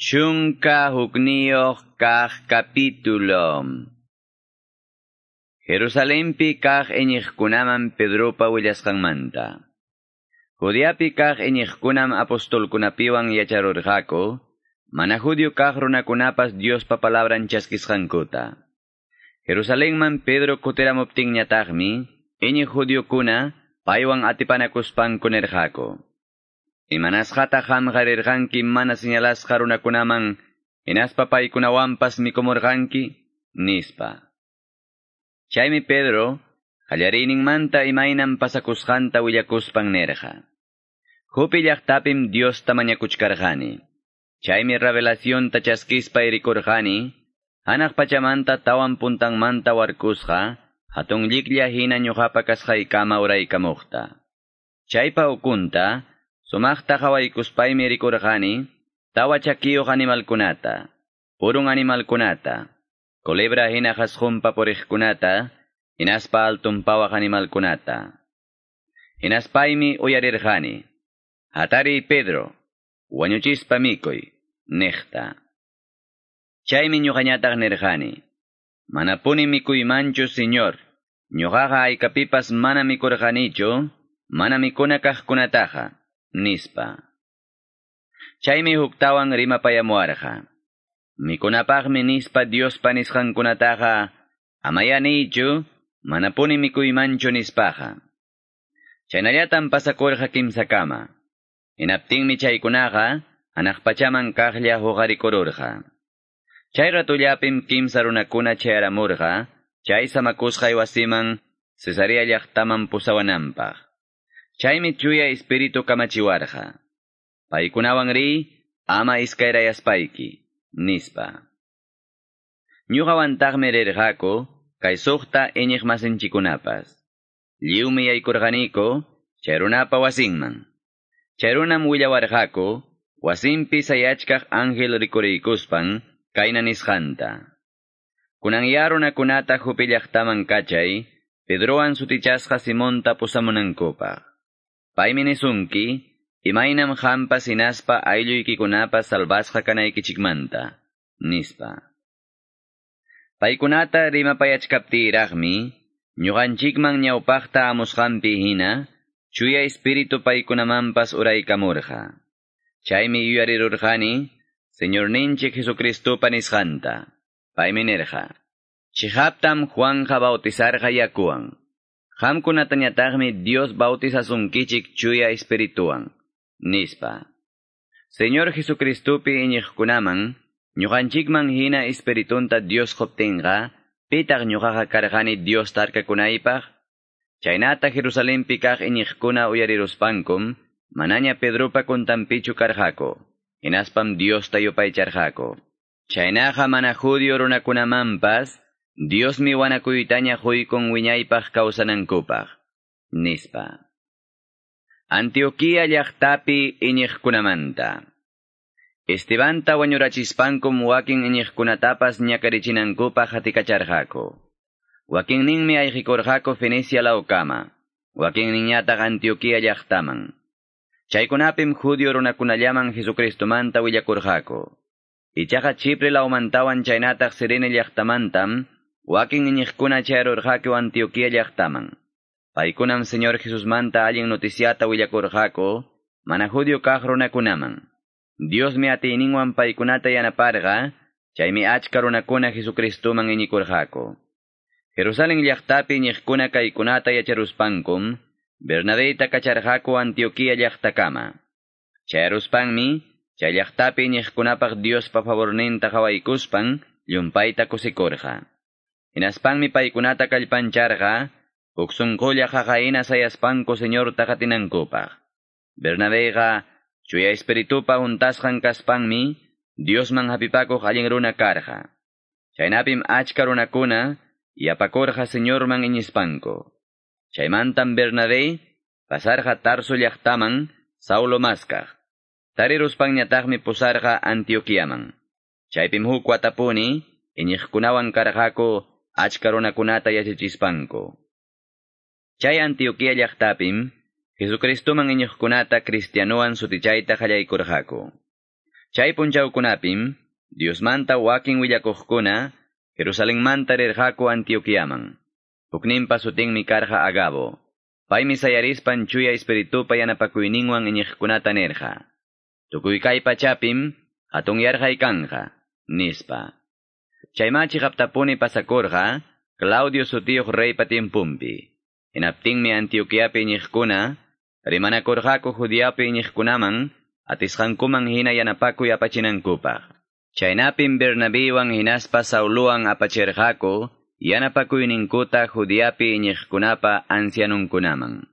11 kaq capítulo. Jerusalempi kaq iñiqkunaman Pedropa willasqanmanta. Judeapi kaq iñiqkunam apostolkunapiwan yacharurqaku, mana judío kaq runakunapas Diospa palabran chaskisqankuta. Jerusalenman Pedro kutiramuptinñataqmi, iñiq judiokuna paywan atipanakuspanku nirqaku. Imanasqata qamqa rirqanki mana señalasqa runakunaman, hinaspa paykunawanpas mikumurqanki, nispa. Chaymi Pedro, qallariyninmanta imaynam pasakusqanta willakuspan nirqa. Jope llaqtapim Diosta mañakuchkarqani. Chaymi revelacionta chaskispa rikurqani, hanaq pachamanta tawan puntanmanta warkusqa, hatun lliklla hina ñuqapa kasqaykama uraykamuqta. Chaypa ukunta, sumaqta qhawaykuspaymi rikurqani, tawa chakiyuq animalkunata, purun animalkunata, culebra hina qhasqunpa puriqkunata, hinaspa altunpawaq animalkunata. Hinaspaymi uyarirqani, hatariy Pedro, wañuchispa mikuy, niqta. Chaymi ñuqañataq nirqani, manapuni mikuymanchu, Señor, ñuqaqa haykapipas mana mikurqanichu, mana mikuna kaqkunataqa, nispa. Chaymi huktawan rimapayamuwarqa. Mikunapaqmi nispa Diospa nisqankunataqa, amaya niychu, manapuni mikuymanchu nispaqa. Chaynallatam pasakurqa kimsakama. Hinaptinmi chaykunaqa, hanaq pachaman kaqlla huqarikururqa. Chay ratullapim kimsa runakuna chayaramurqa, chay samakusqay wasiman, Cesarea llaqtaman pusawananpaq. Chaymi chuya espíritu kamachiwarqa. Paykunawan riy, ama iskayrayaspayki, nispa. Ñuqawantaqmi rirqaku, kay suqta iñiqmasinchikkunapas. Lliwmi yaykurqaniku, chay runapa wasinman. Chay runam willawarqaku, wasinpi sayachkaq ángel rikuriykuspan, kayna nisqanta. Kunan ya runakunata Jope llaqtaman kachay, Pedrowan sutichasqa Simonta pusamunankupaq. Paymi nisunki, imaynam qampas hinaspa aylluykikunapas salvasqa kanaykichikmanta, nispa. Paykunata rimapayachkaptiyraqmi, ñuqanchikman ñawpaqta amusqanpi hina, chuya espíritu paykunamanpas uraykamurqa. Chaymi yuyarirurqani, Señorninchik Jesucristopa nisqanta. Paymi nirqa, Chihaptam Juanja bautizarqa yakuwan. Qamkunatañataqmi Dios bautizasunkichik chuya espirituwan, nispa. Señor Jesucristopi iñiqkunaman, ñuqanchikman hina espiritunta Dios quptinqa, pitaq ñuqaqa karqani Dios tarkakunaypaq? Chaynata Jerusalempi kaq iñiqkuna uyariruspankum, manaña Pedropa kuntanpichu karqaku, hinaspam Diosta yupaycharqaku. Chaynaqa mana judío runakunamanpas, Diosmi wanakuytaña quykun wiñaypaq kawsanankupaq, nispa. Antioquía llaqtapi iñiqkunamanta. Estebanta wañurachispankum wakin iñiqkunatapas ñakarichinankupaq hatikacharqaku. Wakinninmi ayqikurqaku Fenicia lawkama, wakinninñataq Antioquía llaqtaman. Chaykunapim judío runakunallaman Jesucristomanta willakurqaku. Ichaqa Chipre lawmantawan chaynataq Sirene llaqtamantam, wakin iñiqkuna chayarurqaku Antioquía llaqtaman. Paykunam Señor Jesusmanta allin noticiata willakurqaku, mana judío kaq runakunaman. Diosmi atiyninwan paykunata yanaparqa, chaymi achka runakuna Jesucristoman iñikurqaku. Jerusalén llaqtapi iñiqkuna kaykunata yacharuspankum, Bernabeyta kacharqaku Antioquía llaqtakama. Chayaruspanmi, chay llaqtapi iñiqkunapaq Diospa favorninta qhawaykuspan, llumpayta kusikurqa. Hinaspanmi paykunata kallpancharqa, huk sunqulla qaqahina sayaspanku Señorta qatinankupaq. Bernabeyqa, chuya espiritupa huntasqan kaspanmi, Diosman hapipakuq allin runa karqa. Chaynapim achka runakuna, yapakurqa Señorman iñispanku. Chaymantam Bernabé pasarqa Tarso llaqtaman Saulo maskaq. Tariruspanñataqmi pusarqa Antioquiaman. Chaypim huk watapuni iñiqkunawan karqaku achka runakunata yachachispanku. Chay Antioquía llaqtapim Jesucristoman iñiqkunata cristianowan sutichayta qallaykurqaku. Chay punchawkunapim, Diosmanta wakin willakuqkuna, Jerusalenmanta rirqaku Antioquiaman. Hukninpa sutinmi karqa Agabo. Paymi sayarispan chuya espiritupa yanapakuyninwan iñiqkunata nirqa. Tukuy kay pachapim hatun yarqay kanqa, nispa. Chayma chiqaptapuni pasakurqa, Claudio sutiyuq reypa tiempumpi. Hinaptinmi Antioquiapi iñiqkuna, rimanakurqaku Judeapi iñiqkunaman, atisqankuman hina yanapakuy apachinankupaq. Chaynapim Bernabiwan hinaspa Sauluwan apachirqaku, yanapakuyninkuta Judeapi iñiqkunapa ancianunkunaman.